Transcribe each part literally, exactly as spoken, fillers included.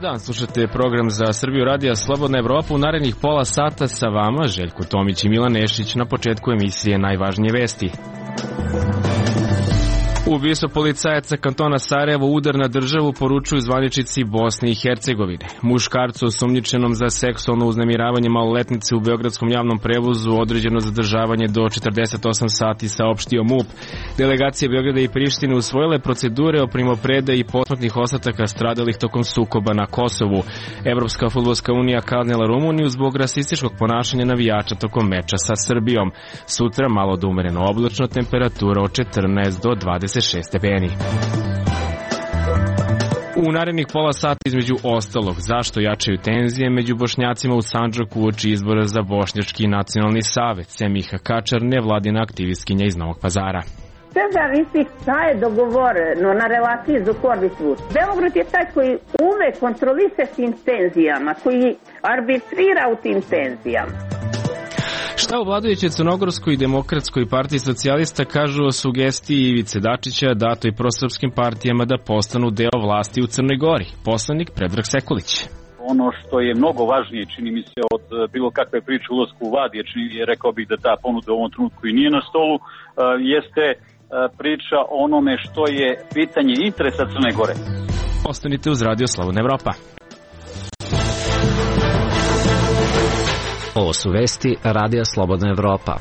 dan, slušate program za Srbiju radija Slobodna Evropa. U narednih pola sata sa vama Željko Tomić i Milan Nešić. Na početku emisije najvažnije vesti. Ubistvo policajaca kantona Sarajevo, udar na državu, poručuju zvaničnici Bosne i Hercegovine. Muškarcu osumnjičenom za seksualno uznemiravanje maloletnice u beogradskom javnom prevozu određeno zadržavanje do četrdeset osam sati, saopštio MUP. Delegacije Beograda i Prištine usvojile procedure o primopredaji i posmrtnih ostataka stradalih tokom sukoba na Kosovu. Evropska fudbalska unija kaznila Rumuniju zbog rasističkog ponašanja navijača tokom meča sa Srbijom. Sutra malo do umereno oblačno, temperatura od četrnaest do dvadeset šest stepeni. U narednih pola sata između ostalog, zašto jačaju tenzije među Bošnjacima u Sandžaku uoči izbora za Bošnjački nacionalni savet. Semiha Kačar, nevladina aktivistkinja iz Novog Pazara. Sve zavisi šta je dogovoreno na relaciji Zukorlić-Vučić. Beograd je taj koji ume kontrolise s tim tenzijama, koji arbitrira u tim tenzijama. Šta u vladajućoj Crnogorskoj i Demokratskoj partiji socijalista kažu o sugestiji Ivice Dačića datoj prosrpskim partijama da postanu deo vlasti u Crnoj Gori? Poslanik Predrag Sekulić. Ono što je mnogo važnije, čini mi se, od bilo kakve priče u ulasku u vlad, jer čini, rekao bih da ta ponuda u ovom trenutku i nije na stolu, jeste priča o onome što je pitanje interesa Crne Gore. Ostanite uz Radio Slobodna Evropa. Ovo su vesti Radija Slobodna Evropa.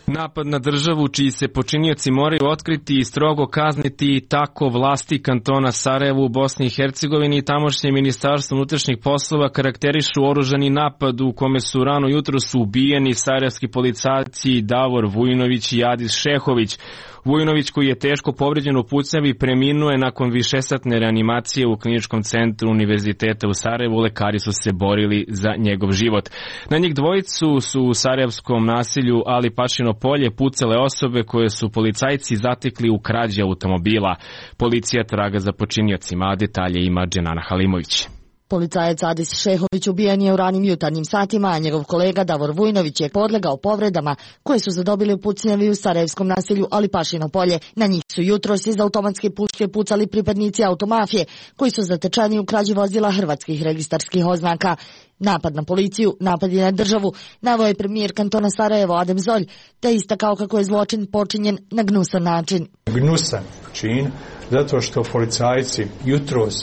Napad na državu čiji se počinioci moraju otkriti i strogo kazniti, tako vlasti kantona Sarajevo u Bosni i Hercegovini i tamošnje ministarstvo unutrašnjih poslova karakterišu oružani napad u kome su rano jutro su ubijeni sarajevski policajci Davor Vujinović i Adis Šehović. Vujinović, koji je teško povređen u pucnjavi, preminuo je nakon višesatne reanimacije u kliničkom centru Univerziteta u Sarajevu. Lekari su se borili za njegov život. Na njih dvojicu su u sarajevskom naselju Ali Pašino polje pucale osobe koje su policajci zatekli u krađi automobila. Policija traga za počiniocima, a detalje ima Dženana Halimović. Policajac Adis Šehović ubijen je u ranim jutarnjim satima, a njegov kolega Davor Vujinović je podlegao povredama koje su zadobili u pucnjavi u sarajevskom naselju Ali Pašino polje. Na njih su jutros iz automatske puške pucali pripadnici automafije koji su zatečeni u krađi vozila hrvatskih registarskih oznaka. Napad na policiju, napad na državu, naveo je premijer kantona Sarajevo Adem Zolj, te istakao kako je zločin počinjen na gnusan način. Gnusan čin, zato što policajci jutros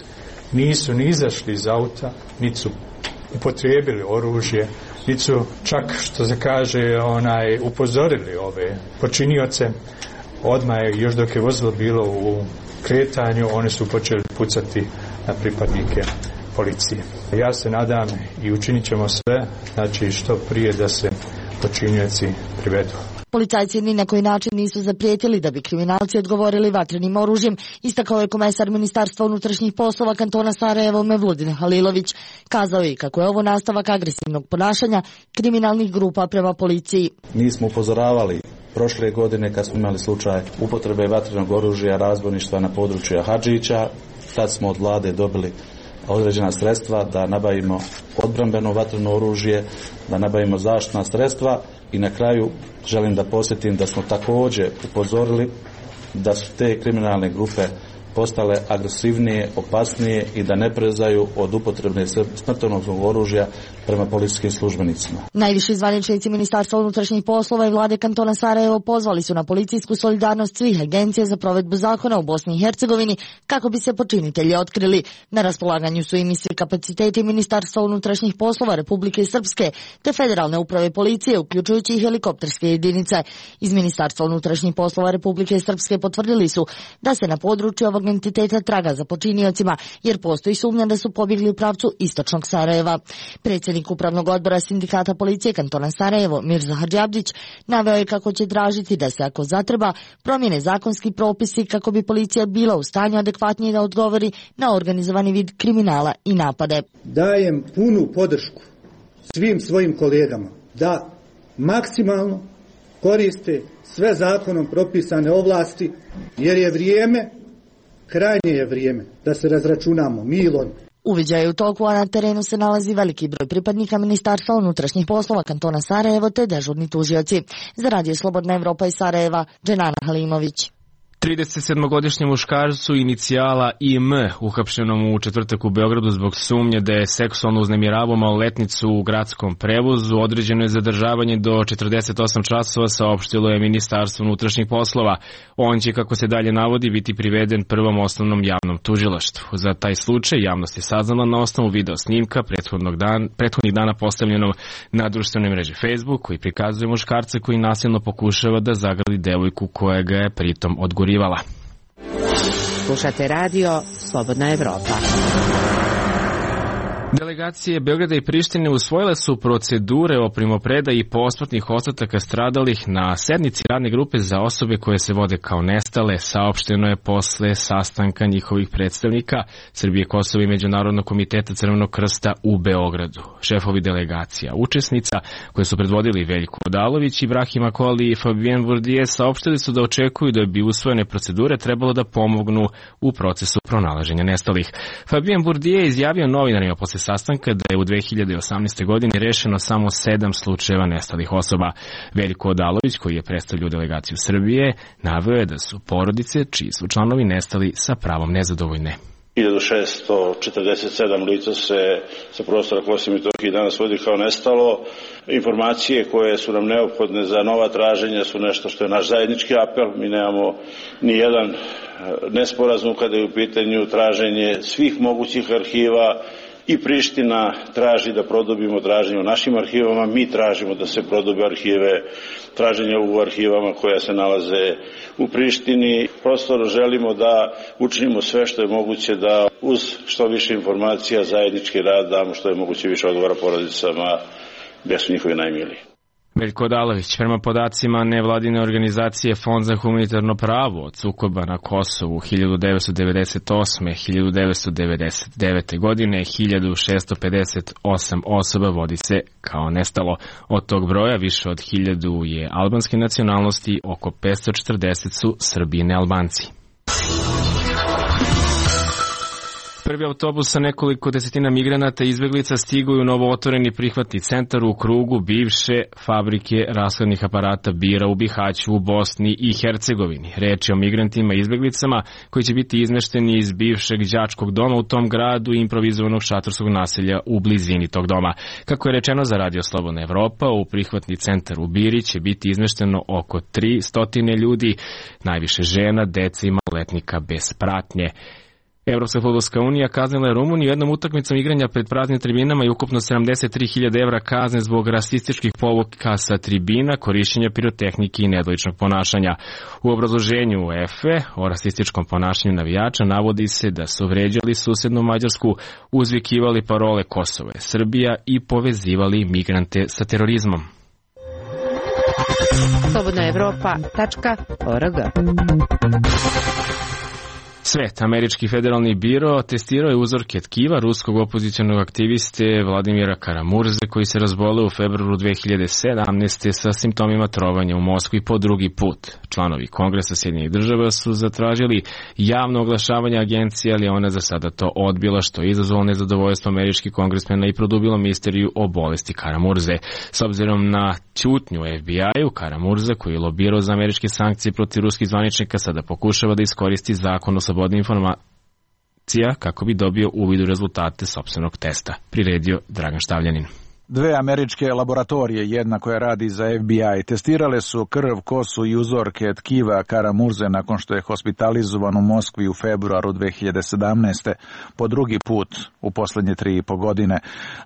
nisu ni izašli iz auta, niti su upotrijebili oružje, niti su čak, što se kaže, onaj, upozorili ove počinioce. Odmah je, još dok je vozilo bilo u kretanju, oni su počeli pucati na pripadnike policije. Ja se nadam i učinit ćemo sve, znači što prije da se počinioci privedu. Policajci ni na koji način nisu zaprijetili da bi kriminalci odgovorili vatrenim oružjem, istakao je komesar Ministarstva unutrašnjih poslova kantona Sarajevo Mevludin Halilović. Kazao je kako je ovo nastavak agresivnog ponašanja kriminalnih grupa prema policiji. Mi smo upozoravali prošle godine kad smo imali slučaj upotrebe vatrenog oružja, razbojništva na području Hadžića. Tad smo od vlade dobili određena sredstva da nabavimo odbrambeno vatreno oružje, da nabavimo zaštitna sredstva i na kraju želim da podsjetim da smo također upozorili da su te kriminalne grupe postale agresivnije, opasnije i da ne prezaju od upotrebe smrtonosnog oružja prema policijskim službenicima. Najviši zvaničnici Ministarstva unutrašnjih poslova i vlade kantona Sarajevo pozvali su na policijsku solidarnost svih agencija za provedbu zakona u Bosni i Hercegovini kako bi se počinitelji otkrili. Na raspolaganju su im i svi kapaciteti Ministarstva unutrašnjih poslova Republike Srpske te Federalne uprave policije, uključujući i helikopterske jedinice. Iz Ministarstva unutrašnjih poslova Republike Srpske potvrdili su da se na području ovog entiteta traga za počiniocima, jer postoji sumnja da su pobjegli u pravcu istočnog Sarajeva. Predsjednik Upravnog odbora Sindikata policije kantona Sarajevo Mirza Hadžiabdić naveo je kako će tražiti da se, ako zatreba, promijene zakonski propisi kako bi policija bila u stanju adekvatnije da odgovori na organizovani vid kriminala i napade. Dajem punu podršku svim svojim kolegama da maksimalno koriste sve zakonom propisane ovlasti, jer je vrijeme, krajnje je vrijeme da se razračunamo milom. Uviđaj je u toku, a na terenu se nalazi veliki broj pripadnika Ministarstva unutrašnjih poslova kantona Sarajevo te dežurni tužioci. Za Radio Slobodna Evropa iz Sarajeva, Dženana Halimović. trideset sedmogodišnjem muškarcu inicijala I M uhapšenom u četvrtak u Beogradu zbog sumnje da je seksualno uznemiravao maloletnicu u gradskom prevozu određeno je zadržavanje do četrdeset osam časova, saopštilo je Ministarstvo unutrašnjih poslova. On će, kako se dalje navodi, biti priveden prvom osnovnom javnom tužilaštvu. Za taj slučaj javnost je saznala na osnovu video snimka prethodnog dan, prethodnih dana postavljenom na društvenoj mreži Facebook, koji prikazuje muškarca koji nasilno pokušava da zagrli devojku koja ga je pritom odgorivala. Slušate radio Slobodna Evropa. Delegacije Beograda i Prištine usvojile su procedure o primopredaji posmrtnih ostataka stradalih na sednici radne grupe za osobe koje se vode kao nestale, saopšteno je posle sastanka njihovih predstavnika Srbije, Kosova i Međunarodnog komiteta Crvenog krsta u Beogradu. Šefovi delegacija učesnica, koje su predvodili Veljko Odalović, Ibrahim Akoli i Fabien Bourdieu, saopštili su da očekuju da bi usvojene procedure trebalo da pomognu u procesu pronalaženja nestalih. Fabien Bourdieu je izjavio novinarima posle sastanka da je u dve hiljade osamnaestoj. godini rešeno samo sedam slučajeva nestalih osoba. Veljko Odalović, koji je predstavljao delegaciju Srbije, naveo je da su porodice čiji su članovi nestali sa pravom nezadovoljne. hiljadu šeststo četrdeset sedam lica se sa prostora Kosova i Metohije danas vodi kao nestalo. Informacije koje su nam neophodne za nova traženja su nešto što je naš zajednički apel. Mi nemamo ni jedan nesporazum kada je u pitanju traženje svih mogućih arhiva. I Priština traži da produbimo traženje u našim arhivama, mi tražimo da se prodube arhive, traženja u arhivama koja se nalaze u Prištini. Prosto želimo da učinimo sve što je moguće da uz što više informacija zajednički rad damo što je moguće više odgovora porodicama gdje su njihovi najmiliji. Veljko Odalović, prema podacima nevladine organizacije Fond za humanitarno pravo od sukoba na Kosovu hiljadu devetsto devedeset osme. do hiljadu devetsto devedeset devete. godine hiljadu šessto pedeset osam osoba vodi se kao nestalo. Od tog broja više od hiljadu je albanske nacionalnosti, oko petsto četrdeset su Srbi i nealbanci. Prvi autobus sa nekoliko desetina migranata i izbeglica stigao u novootvoreni prihvatni centar u krugu bivše fabrike rashladnih aparata Bira u Bihaću u Bosni i Hercegovini. Reč je o migrantima i izbeglicama koji će biti izmešteni iz bivšeg đačkog doma u tom gradu i improvizovanog šatorskog naselja u blizini tog doma. Kako je rečeno za Radio Slobodna Evropa, u prihvatni centar u Biri će biti izmešteno oko tristo ljudi, najviše žena, dece i maloletnika bez pratnje. Evropska fudbalska unija kaznila je Rumuniju jednom utakmicom igranja pred praznim tribinama i ukupno sedamdeset tri hiljade evra kazne zbog rasističkih povuka sa tribina, korišćenja pirotehnike i nedoličnog ponašanja. U obrazloženju UEFA o rasističkom ponašanju navijača navodi se da su vređali susednu Mađarsku, uzvikivali parole Kosovo je Srbija i povezivali migrante sa terorizmom. slobodna evropa tačka org. Svet, američki federalni biro, testirao je uzorke tkiva ruskog opozicionog aktiviste Vladimira Karamurze, koji se razboleo u februaru dve hiljade sedamnaeste. sa simptomima trovanja u Moskvi po drugi put. Članovi Kongresa Sjedinjenih država su zatražili javno oglašavanje agencije, ali ona za sada to odbila, što je izazvalo nezadovoljstvo američkih kongresmena i produbilo misteriju o bolesti Karamurze. S obzirom na ćutnju F B I-u, Karamurza, koji je lobirao za američke sankcije protiv ruskih zvaničnika, sada pokušava da iskoristi zakon o slobodi informacija kako bi dobio uvid u rezultate sopstvenog testa, priredio Dragan Štavljanin. Dve američke laboratorije, jedna koja radi za F B I, testirale su krv, kosu i uzorke tkiva Karamurze nakon što je hospitalizovan u Moskvi u februaru dve hiljade sedamnaeste. po drugi put u poslednje tri i po godine.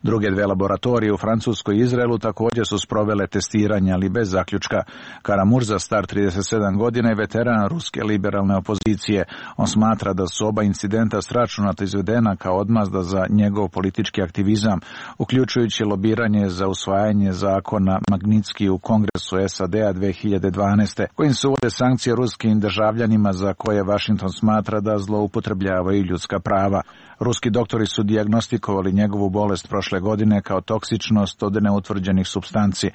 Druge dve laboratorije u Francuskoj i Izraelu također su sprovele testiranje, ali bez zaključka. Karamurza, star trideset sedam godina, je veteran ruske liberalne opozicije. On smatra da su oba incidenta sračunata izvedena kao odmazda za njegov politički aktivizam, uključujući lobiranje za usvajanje zakona Magnitski u Kongresu S A D-a dve hiljade dvanaeste. kojim se uvode sankcije ruskim državljanima za koje Washington smatra da zloupotrebljavaju ljudska prava. Ruski doktori su dijagnostikovali njegovu bolest prošle godine kao toksičnost od neutvrđenih supstanci.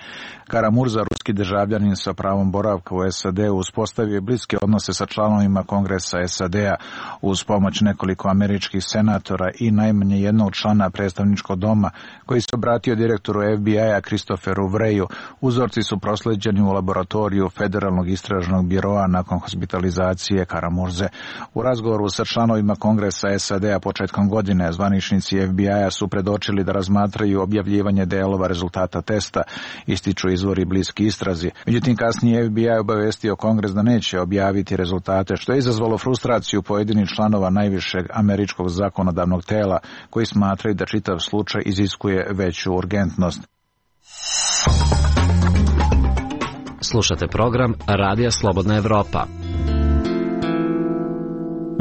Karamurza, ruski državljanin sa pravom boravka u S A D-u, uspostavio je bliske odnose sa članovima Kongresa S A D-a uz pomoć nekoliko američkih senatora i najmanje jednog člana predstavničkog doma, koji se obratio direktoru F B I-a Christopheru Wreyu. Uzorci su prosleđeni u laboratoriju Federalnog istražnog biroa nakon hospitalizacije Karamurze. U razgovoru sa članovima Kongresa S A D-a početkom godine zvaničnici F B I-a su predočili da razmatraju objavljivanje delova rezultata testa, ističu izvori bliski istrazi. Međutim, kasnije F B I obavestio Kongres da neće objaviti rezultate, što je izazvalo frustraciju pojedinih članova najvišeg američkog zakonodavnog tela, koji smatraju da čitav slučaj iziskuje veću urgentnost. Slušate program Radija Slobodna Evropa.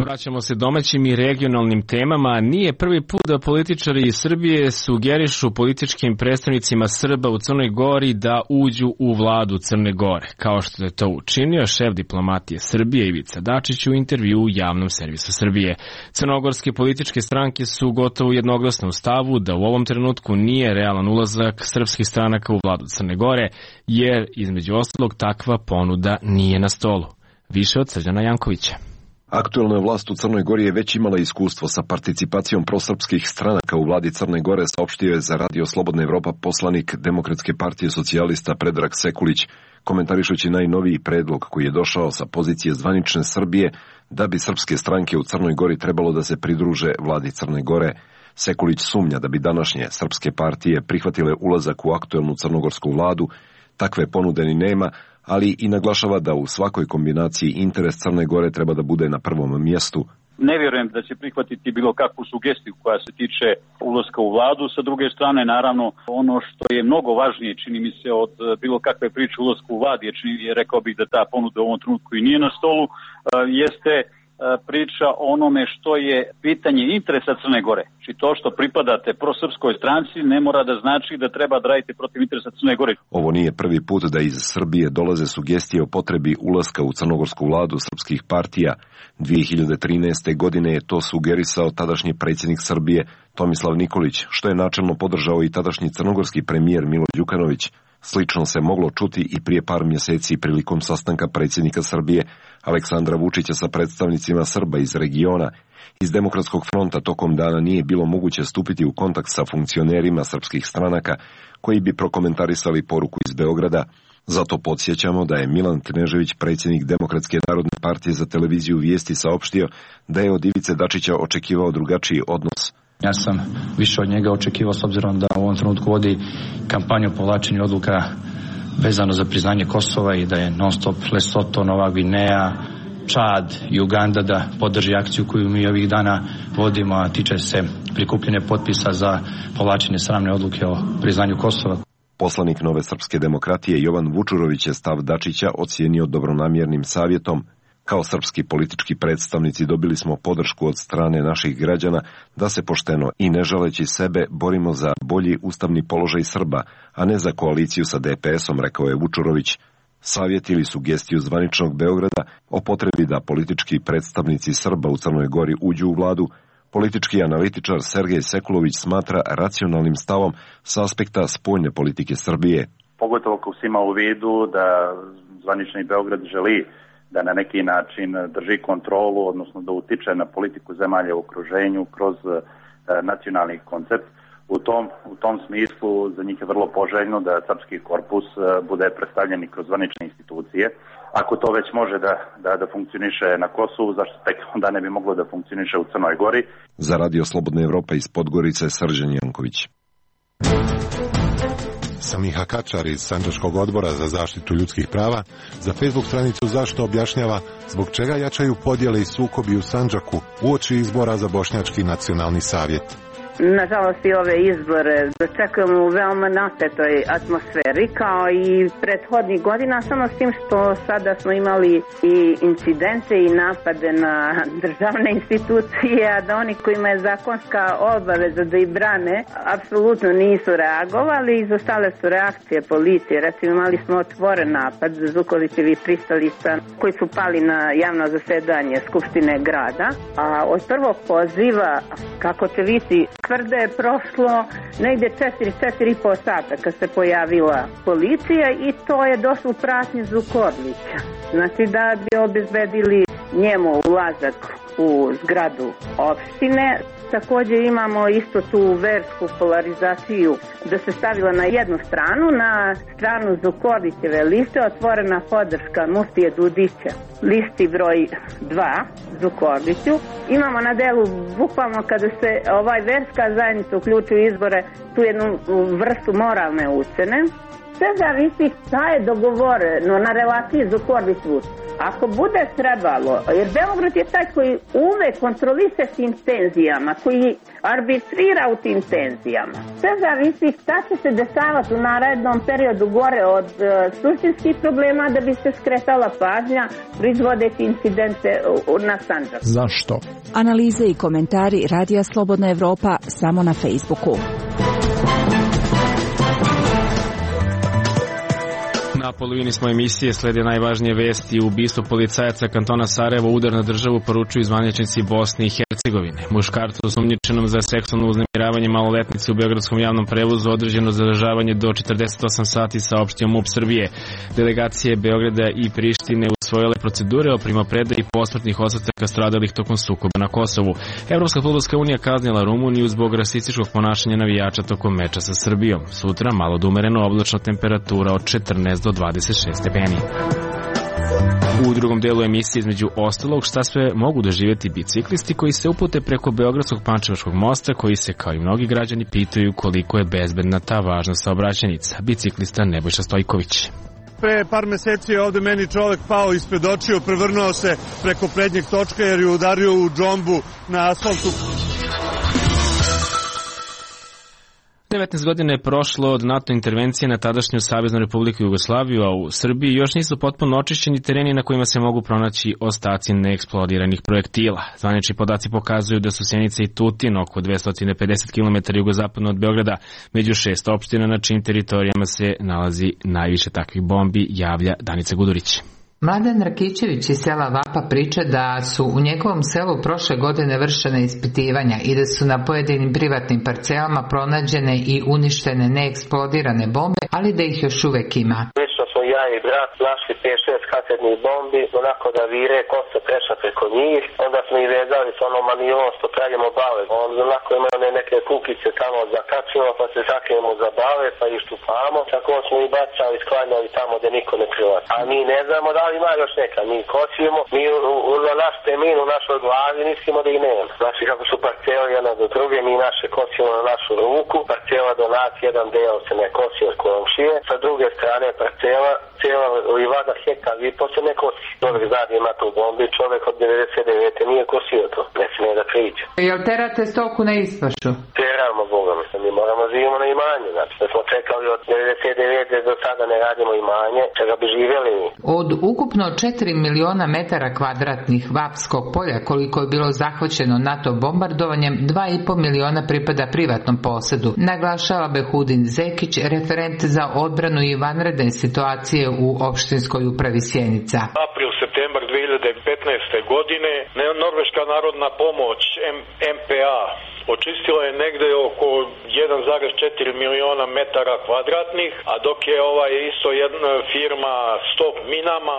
Vraćamo se domaćim i regionalnim temama. Nije prvi put da političari iz Srbije sugerišu političkim predstavnicima Srba u Crnoj Gori da uđu u vladu Crne Gore, kao što je to učinio šef diplomatije Srbije Ivica Dačić u intervju u Javnom servisu Srbije. Crnogorske političke stranke su gotovo jednoglasne u stavu da u ovom trenutku nije realan ulazak srpskih stranaka u vladu Crne Gore, jer između ostalog takva ponuda nije na stolu. Više od Srđana Jankovića. Aktuelna vlast u Crnoj Gori je već imala iskustvo sa participacijom prosrpskih stranaka u vladi Crne Gore, saopštio je za Radio Slobodna Evropa poslanik Demokratske partije socijalista Predrag Sekulić, komentarišući najnoviji predlog koji je došao sa pozicije zvanične Srbije da bi srpske stranke u Crnoj Gori trebalo da se pridruže vladi Crne Gore. Sekulić sumnja da bi današnje srpske partije prihvatile ulazak u aktuelnu crnogorsku vladu, takve ponude ni nema, ali i naglašava da u svakoj kombinaciji interes Crne Gore treba da bude na prvom mjestu. Ne vjerujem da će prihvatiti bilo kakvu sugestiju koja se tiče ulaska u vladu. Sa druge strane, naravno, ono što je mnogo važnije, čini mi se, od bilo kakve priče ulasku u vladu, jer čini, rekao bih da ta ponuda u ovom trenutku i nije na stolu, jeste priča o onome što je pitanje interesa Crne Gore. Či to što pripadate prosrpskoj stranci ne mora da znači da treba da radite protiv interesa Crne Gore. Ovo nije prvi put da iz Srbije dolaze sugestije o potrebi ulaska u crnogorsku vladu srpskih partija. dvije hiljade trinaeste. godine je to sugerisao tadašnji predsjednik Srbije Tomislav Nikolić, što je načelno podržao i tadašnji crnogorski premijer Milo Đukanović. Slično se moglo čuti i prije par mjeseci prilikom sastanka predsjednika Srbije Aleksandra Vučića sa predstavnicima Srba iz regiona. Iz Demokratskog fronta tokom dana nije bilo moguće stupiti u kontakt sa funkcionerima srpskih stranaka koji bi prokomentarisali poruku iz Beograda. Zato podsjećamo da je Milan Knežević, predsjednik Demokratske narodne partije, za televiziju Vijesti saopštio da je od Ivice Dačića očekivao drugačiji odnos. Ja sam više od njega očekivao, s obzirom da u ovom trenutku vodi kampanju povlačenja odluka vezano za priznanje Kosova i da je non stop Lesoto, Nova Gvineja, Čad i Uganda da podrži akciju koju mi ovih dana vodimo, a tiče se prikupljene potpisa za povlačenje sramne odluke o priznanju Kosova. Poslanik Nove srpske demokratije Jovan Vučurović je stav Dačića ocijenio dobronamjernim savjetom. Kao srpski politički predstavnici dobili smo podršku od strane naših građana da se pošteno i ne žaleći sebe borimo za bolji ustavni položaj Srba, a ne za koaliciju sa D P S-om, rekao je Vučurović. Savjet ili sugestiju zvaničnog Beograda o potrebi da politički predstavnici Srba u Crnoj Gori uđu u vladu, politički analitičar Sergej Sekulović smatra racionalnim stavom sa aspekta spoljne politike Srbije. Pogotovo ako se ima u vidu da zvanični Beograd želi da na neki način drži kontrolu, odnosno da utiče na politiku zemalja u okruženju kroz e, nacionalni koncept. U tom, u tom smislu za njih je vrlo poželjno da srpski korpus e, bude predstavljen i kroz zvanične institucije. Ako to već može da, da, da funkcioniše na Kosovu, zašto tek onda ne bi moglo da funkcioniše u Crnoj Gori? Za Radio Slobodna Evropa iz Podgorice, Srđan Janković. Samiha Kačar iz Sandžačkog odbora za zaštitu ljudskih prava za Facebook stranicu Zašto objašnjava zbog čega jačaju podjele i sukobi u Sandžaku uoči izbora za Bošnjački nacionalni savjet. Nažalost i ove izbore dočekujemo u veoma napetoj atmosferi kao i prethodnih godina, samo s tim što sada smo imali i incidente i napade na državne institucije, a da oni kojima je zakonska obaveza da ih brane apsolutno nisu reagovali. Izostale su reakcije policije. Recimo imali smo otvoren napad za Zukovićevi pristalica koji su pali na javno zasedanje Skupštine grada, a od prvog poziva, kako će vidjeti, tvrde je prošlo negdje četiri, četiri i po sata kad se pojavila policija i to je došlo u pratnji Zukorlića. Znači da bi obezbedili njemu ulazak u zgradu opštine. Također imamo isto tu versku polarizaciju da se stavila na jednu stranu, na stranu Zukorlićeve liste otvorena podrška muftije Dudića, listi broj dva Zukorliću. Imamo na delu, bukvalno kada se ovaj verska zajednica uključi u izbore, tu jednu vrstu moralne ucene. Sve zavisi šta je dogovoreno na relaciji Zukorlić-Vučić. Ako bude trebalo, jer Beograd je taj koji uvek kontroliše tim tenzijama, koji arbitrira u tim tenzijama. Sve zavisi šta će se dešavati u narednom periodu gore od uh, suštinskih problema da bi se skretala pažnja proizvodeći incidente uh, na Sandžaku. Zašto? Analize i komentari Radija Slobodna Evropa samo na Facebooku. Na polovini smo emisije, slede najvažnije vesti. Ubistvo policajaca kantona Sarajevo, udar na državu, poručuju zvaničnici Bosne i Hercegovine. Muškarcu osumnjičenom za seksualno uznemiravanje maloletnice u beogradskom javnom prevozu određeno zadržavanje do četrdeset osam sati, saopštio MUP Srbije. Delegacije Beograda i Prištine usvojile procedure o primopredaji posmrtnih ostataka stradalih tokom sukoba na Kosovu. Evropska fudbalska unija kaznila Rumuniju zbog rasističkog ponašanja navijača tokom meča sa Srbijom. Sutra malo da umereno, oblačna temperatura od četrnaest do dvadeset šest stepeni. U drugom delu emisije, između ostalog, šta sve mogu doživjeti biciklisti koji se upute preko Beogradskog Pančevačkog mosta, koji se, kao i mnogi građani, pitaju koliko je bezbedna ta važna saobraćajnica. Biciklista Nebojša Stojković. Pre par meseci je ovde meni čovek pao ispred očiju, prevrnuo se preko prednjeg točka jer je udario u džombu na asfaltu. devetnaest godina je prošlo od NATO intervencije na tadašnju Saveznu Republiku Jugoslaviju, a u Srbiji još nisu potpuno očišćeni tereni na kojima se mogu pronaći ostaci neeksplodiranih projektila. Zvanični podaci pokazuju da su Sjenica i Tutin, oko dvesta pedeset kilometara jugozapadno od Beograda, među šest opština na čijim teritorijama se nalazi najviše takvih bombi, javlja Danica Gudurić. Mladen Rakićević iz sela Vapa priča da su u njegovom selu prošle godine vršene ispitivanja i da su na pojedinim privatnim parcelama pronađene i uništene neeksplodirane bombe, ali da ih još uvek ima. Lično smo ja i brat našli pet šest kasetnih bombi, onako da vire kosa prešla preko njih, onda smo ih vezali s onom manilom što pravimo bave. Onda onako imaju neke kukice tamo zakačimo, pa se zakrijemo za bave, pa ih štupamo, tako smo ih bacali, sklanjali tamo gde niko ne prilazi. A mi ne znamo da li ima još neka, mi kosimo, mi u, u, na naš temin, u našoj glavi mislimo da ih nema. Znači kako su parcele jedna do druge, mi naše kosimo na našu ruku, parcela do nas, jedan deo se ne kosi od komšije, sa druge strane parcela, cijela livada hektar i posle ne kosi. Čovjek zna da ima tu bombi, čovjek od devedeset devete nije kosio to, ne smije da priđe. Jel terate stoku na ispašu? Teramo, Boga mi, mi moramo živimo na imanje, znači da smo čekali od devedeset devete do sada ne radimo imanje, čega bi živjeli mi. Od ukupno četiri miliona metara kvadratnih Vapskog polja koliko je bilo zahvaćeno NATO bombardovanjem, dva i po miliona pripada privatnom posedu, naglašava Behudin Zekić, referent za odbranu i vanredne situacije u opštinskoj upravi Sjenica. April, septembar dve hiljade petnaeste. godine Norveška narodna pomoć M P A očistila je negde oko jedan zarez četiri miliona metara kvadratnih, a dok je ovaj isto jedna firma Stop Minama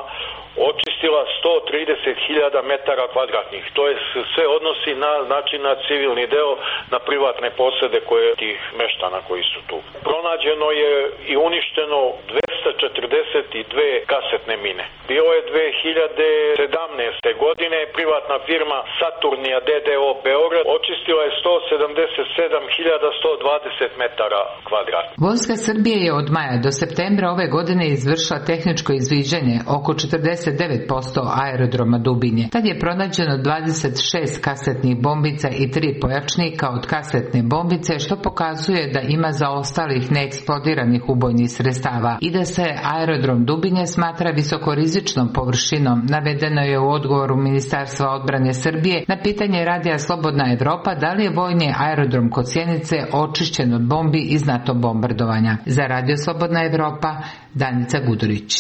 očistila sto trideset hiljada metara kvadratnih. To je sve odnosi na, znači na civilni deo, na privatne posede koje tih meštana koji su tu. Pronađeno je i uništeno dvesta četrdeset dve kasetne mine. Bilo je dve hiljade sedamnaeste. godine privatna firma Saturnija D D O Beograd očistila je sto sedamdeset sedam hiljada sto dvadeset metara kvadratnih. Vojska Srbije je od maja do septembra ove godine izvršila tehničko izviđanje oko četrdeset devet posto aerodroma Dubinje. Tad je pronađeno dvadeset šest kasetnih bombica i tri pojačnika od kasetne bombice, što pokazuje da ima zaostalih neeksplodiranih ubojnih sredstava i da se aerodrom Dubinje smatra visokorizičnom površinom, navedeno je u odgovoru Ministarstva odbrane Srbije na pitanje Radija Slobodna Evropa da li je vojni aerodrom kod Sjenice očišćen od bombi iz NATO bombardovanja. Za Radio Slobodna Evropa, Danica Gudurić.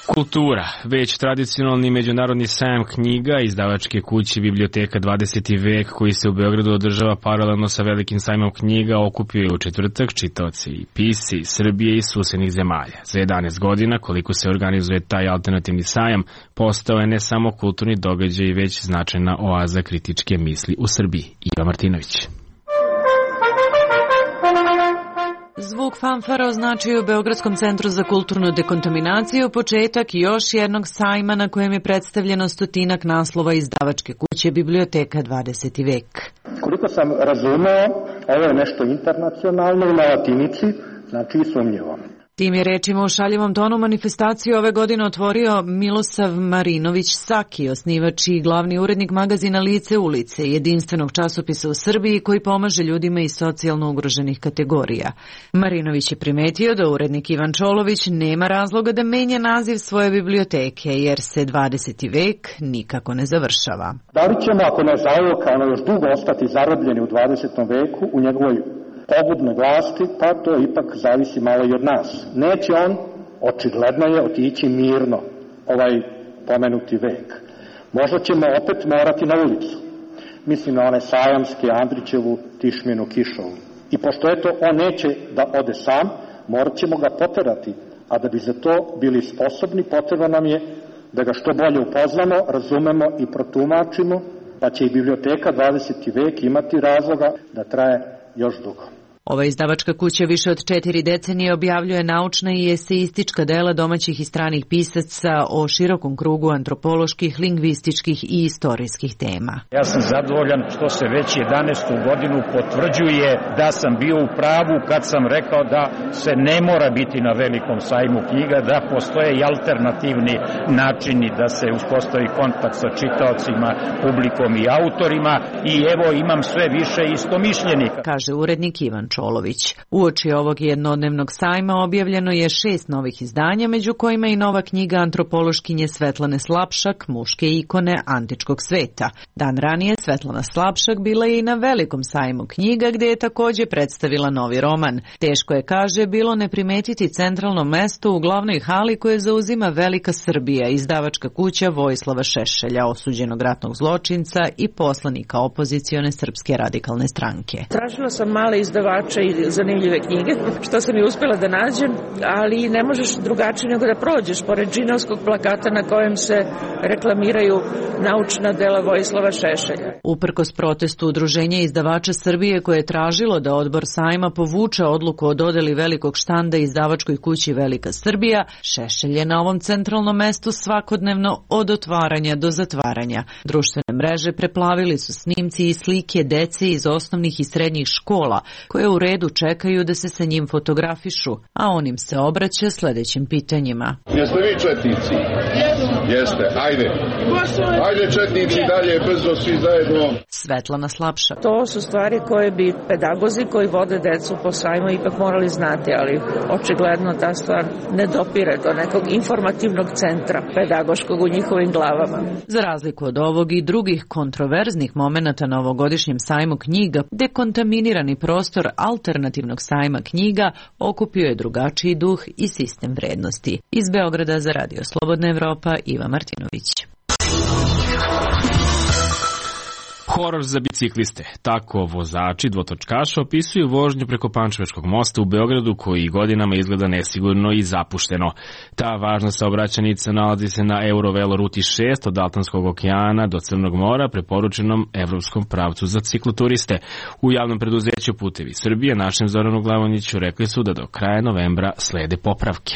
Kultura, već tradicionalni međunarodni sajam knjiga izdavačke kuće Biblioteka dvadeseti vek koji se u Beogradu održava paralelno sa velikim sajmom knjiga okupio je u četvrtak čitaoci i pisci Srbije i susednih zemalja. Za jedanaest godina koliko se organizuje taj alternativni sajam postao je ne samo kulturni događaj već značajna oaza kritičke misli u Srbiji. Iva Martinović. Zvuk fanfara označio u Beogradskom centru za kulturnu dekontaminaciju početak još jednog sajma na kojem je predstavljeno stotinak naslova izdavačke kuće Biblioteka dvadeseti vek. Koliko sam razumeo, ovo je nešto internacionalno na latinici, znači i sumnjivo. Tim je rečima u šaljivom tonu manifestaciju ove godine otvorio Milosav Marinović Saki, osnivač i glavni urednik magazina Lice ulice, jedinstvenog časopisa u Srbiji koji pomaže ljudima iz socijalno ugroženih kategorija. Marinović je primetio da urednik Ivan Čolović nema razloga da menja naziv svoje biblioteke, jer se dvadeseti vek nikako ne završava. Da li ćemo, ako ne zauvek, ono još dugo ostati zarobljeni u dvadesetom veku, u njegovoj pogubne vlasti, pa to ipak zavisi malo i od nas. Neće on, očigledno je, otići mirno ovaj pomenuti vek. Možda ćemo opet morati na ulicu. Mislim na one sajamske, Andrićevu, Tišminu, Kišovu. I pošto eto on neće da ode sam, morat ćemo ga poterati, a da bi za to bili sposobni, potrebno nam je da ga što bolje upoznamo, razumemo i protumačimo, pa će i Biblioteka dvadeseti vek imati razloga da traje još dugo. Ova izdavačka kuća više od četiri decenije objavljuje naučna i eseistička dela domaćih i stranih pisaca o širokom krugu antropoloških, lingvističkih i istorijskih tema. Ja sam zadovoljan što se već jedanaestu godinu potvrđuje da sam bio u pravu kad sam rekao da se ne mora biti na velikom sajmu knjiga, da postoje i alternativni načini da se uspostavi kontakt sa čitaocima, publikom i autorima i evo imam sve više istomišljenika, kaže urednik Ivan Čolović. Uoči ovog jednodnevnog sajma objavljeno je šest novih izdanja, među kojima i nova knjiga antropološkinje Svetlane Slapšak, Muške ikone antičkog sveta. Dan ranije Svetlana Slapšak bila je i na velikom sajmu knjiga gdje je također predstavila novi roman. Teško je, kaže, bilo ne primetiti centralno mesto u glavnoj hali koje zauzima Velika Srbija, izdavačka kuća Vojislava Šešelja, osuđenog ratnog zločinca i poslanika opozicione Srpske radikalne stranke. Tražila sam male izdavače i zanimljive knjige, što sam i uspjela da nađem, ali ne možeš drugačije nego da prođeš pored džinovskog plakata na kojem se reklamiraju naučna dela Vojislava Šešelja. Uprkos protestu Udruženja izdavača Srbije koje je tražilo da odbor sajma povuče odluku o dodeli velikog štanda izdavačkoj kući Velika Srbija, Šešelj je na ovom centralnom mestu svakodnevno od otvaranja do zatvaranja. Društvene mreže preplavili su snimci i slike dece iz osnovnih i srednjih škola, koje u redu čekaju da se sa njim fotografišu, a on im se obraća sljedećim pitanjima. Jeste vi četnici? Jeste, ajde. Ajde četnici dalje, brzo svi zajedno. Svetlana Slapšak. To su stvari koje bi pedagozi koji vode decu po sajmu ipak morali znati, ali očigledno ta stvar ne dopire do nekog informativnog centra pedagoškog u njihovim glavama. Za razliku od ovog i drugih kontroverznih momenata na ovogodišnjem sajmu knjiga, dekontaminirani prostor alternativnog sajma knjiga okupio je drugačiji duh i sistem vrednosti. Iz Beograda za Radio Slobodna Evropa, Iva Martinović. Horor za bicikliste. Tako vozači dvotočkaša opisuju vožnju preko Pančevačkog mosta u Beogradu koji godinama izgleda nesigurno i zapušteno. Ta važna saobraćajnica nalazi se na Eurovelo ruti šest od Atlantskog okeana do Crnog mora, preporučenom evropskom pravcu za cikloturiste. U javnom preduzeću Putevi Srbije našem Zoranu Glavonjiću rekli su da do kraja novembra slede popravke.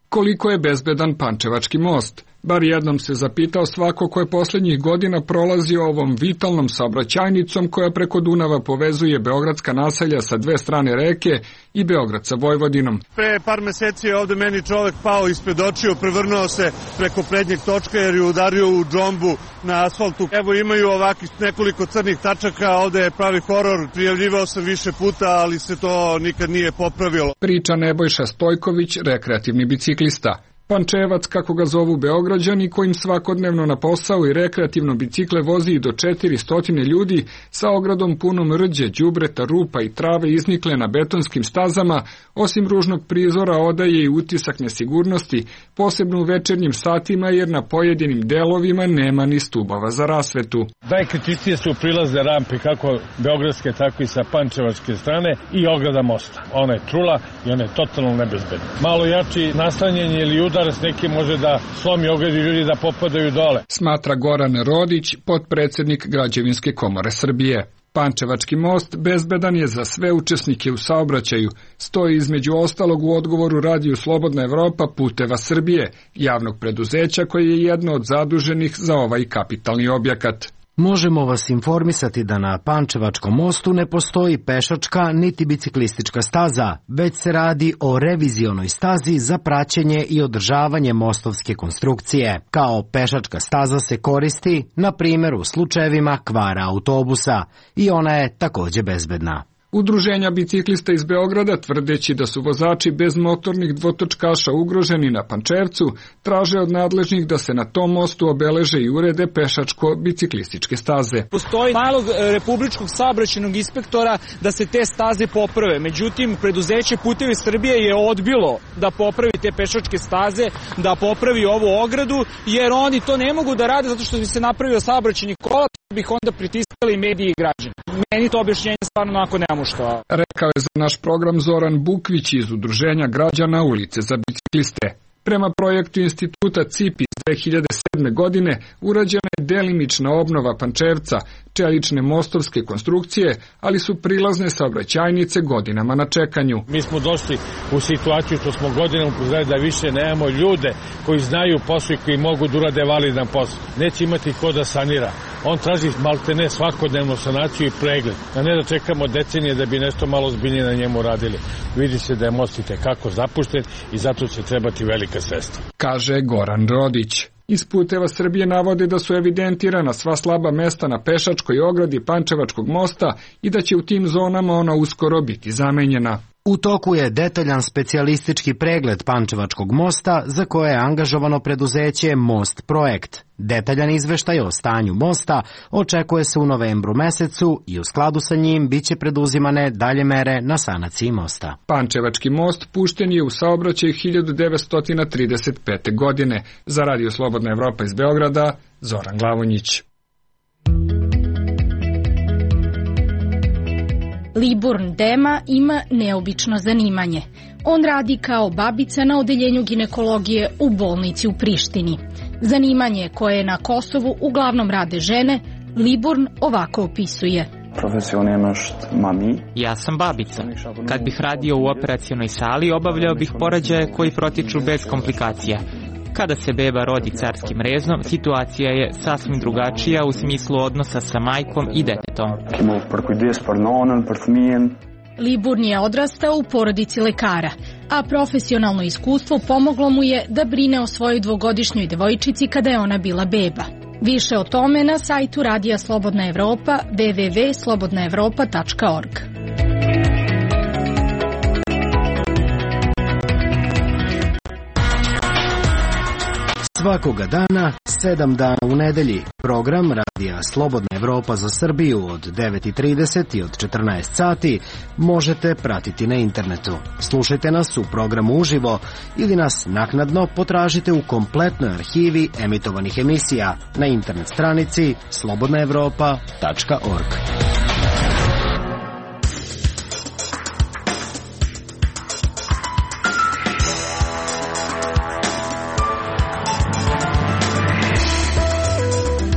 Koliko je bezbedan Pančevački most? Bar jednom se zapitao svako ko je posljednjih godina prolazio ovom vitalnom saobraćajnicom koja preko Dunava povezuje beogradska naselja sa dve strane reke i Beograd sa Vojvodinom. Pre par meseci je ovde meni čovek pao ispred očiju, prevrnuo se preko prednjeg točka jer je udario u džombu na asfaltu. Evo imaju ovakvih nekoliko crnih tačaka, ovde je pravi horor, prijavljivao sam više puta, ali se to nikad nije popravilo. Priča Nebojša Stojković, rekreativni biciklista. Pančevac, kako ga zovu Beograđani, kojim svakodnevno na posao i rekreativno bicikle vozi i do četiristo ljudi, sa ogradom punom rđe, đubreta, rupa i trave iznikle na betonskim stazama, osim ružnog prizora odaje i utisak nesigurnosti, posebno u večernjim satima jer na pojedinim delovima nema ni stubova za rasvetu. Najkritičnije su prilazne rampe kako beogradske, tako i sa pančevačke strane i ograda mosta. Ona je trula i ona je totalno nebezbedna. Malo jači naslanjenje ili udarac neki može da slomi ogradu i ljudi da popadaju dole. Smatra Goran Rodić, potpredsednik Građevinske komore Srbije. Pančevački most bezbedan je za sve učesnike u saobraćaju, stoji između ostalog u odgovoru Radiju Slobodna Evropa Puteva Srbije, javnog preduzeća koje je jedno od zaduženih za ovaj kapitalni objekat. Možemo vas informisati da na Pančevačkom mostu ne postoji pešačka niti biciklistička staza, već se radi o revizionoj stazi za praćenje i održavanje mostovske konstrukcije. Kao pešačka staza se koristi, na primjer, u slučajevima kvara autobusa i ona je takođe bezbedna. Udruženja biciklista iz Beograda, tvrdeći da su vozači bez motornih dvotočkaša ugroženi na Pančevcu, traže od nadležnih da se na tom mostu obeleže i urede pešačko-biciklističke staze. Postoji nalog Republičkog saobraćajnog inspektora da se te staze poprave. Međutim, preduzeće Putevi Srbije je odbilo da popravi te pešačke staze, da popravi ovu ogradu, jer oni to ne mogu da rade zato što bi se napravio saobraćajni kolaps, bih onda pritiskali mediji i građani. Meni to objašnjenje stvarno onako nema što. Rekao je za naš program Zoran Bukvić iz Udruženja građana Ulice za bicikliste. Prema projektu instituta C I P iz dve hiljade sedme. godine urađena je delimična obnova Pančevca, čelične mostovske konstrukcije, ali su prilazne saobraćajnice godinama na čekanju. Mi smo došli u situaciju što smo godinama upozorili da više nemamo ljude koji znaju posao i koji mogu da urade validan posao. Neće imati ko da sanira. On traži maltene svakodnevnu sanaciju i pregled, a ne da čekamo decenije da bi nešto malo zbiljnije na njemu radili. Vidi se da je most i tekako zapušten i zato će trebati velika sredstva. Kaže Goran Rodić. Iz Puteva Srbije navode da su evidentirana sva slaba mesta na pešačkoj ogradi Pančevačkog mosta i da će u tim zonama ona uskoro biti zamenjena. U toku je detaljan specijalistički pregled Pančevačkog mosta za koje je angažovano preduzeće Most Projekt. Detaljan izveštaj o stanju mosta očekuje se u novembru mesecu i u skladu sa njim biće preduzimane dalje mere na sanaciji mosta. Pančevački most pušten je u saobraćaj hiljadu devetsto trideset pete. godine. Za Radio Slobodna Evropa iz Beograda, Zoran Glavonjić. Liburn Dema ima neobično zanimanje. On radi kao babica na odeljenju ginekologije u bolnici u Prištini. Zanimanje koje na Kosovu uglavnom rade žene, Liburn ovako opisuje. Ja sam babica. Kad bih radio u operacionoj sali, obavljao bih porođaje koji protiču bez komplikacija. Kada se beba rodi carskim rezom, situacija je sasvim drugačija u smislu odnosa sa majkom i detetom. Liburn je odrastao u porodici lekara, a profesionalno iskustvo pomoglo mu je da brine o svojoj dvogodišnjoj devojčici kada je ona bila beba. Više o tome na sajtu Radija Slobodna Evropa w w w tačka slobodna evropa tačka org. Svakoga dana, sedam dana u nedelji, program Radija Slobodna Evropa za Srbiju od devet i trideset i od četrnaest sati možete pratiti na internetu. Slušajte nas u programu uživo ili nas naknadno potražite u kompletnoj arhivi emitovanih emisija na internet stranici slobodna evropa tačka org.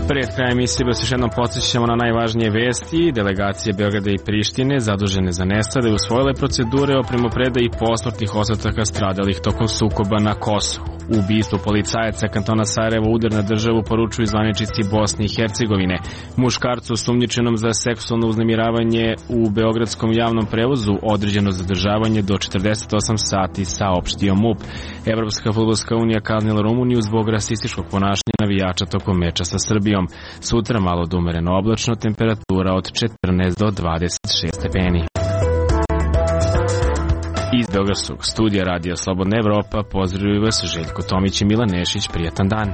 Pred krajem emisije vas još jednom podsjećamo na najvažnije vesti. Delegacije Beograda i Prištine zadužene za nestale usvojile procedure o primopredaji posmrtnih ostataka stradalih tokom sukoba na Kosovu. U ubistvu policajaca kantona Sarajevo udar na državu poručuju zvaničnici Bosne i Hercegovine. Muškarcu osumnjičenom za seksualno uznemiravanje u beogradskom javnom prevozu određeno zadržavanje do četrdeset osam sati, saopštio MUP. Evropska fudbalska unija kaznila Rumuniju zbog rasističkog ponašanja navijača tokom meča sa Srbijom. Sutra malo do umereno oblačno, temperatura od četrnaest do dvadeset šest stepeni. Iz Beogradskog studija Radija Slobodna Evropa pozdravljaju vas Željko Tomić i Milan Nešić. Prijetan dan.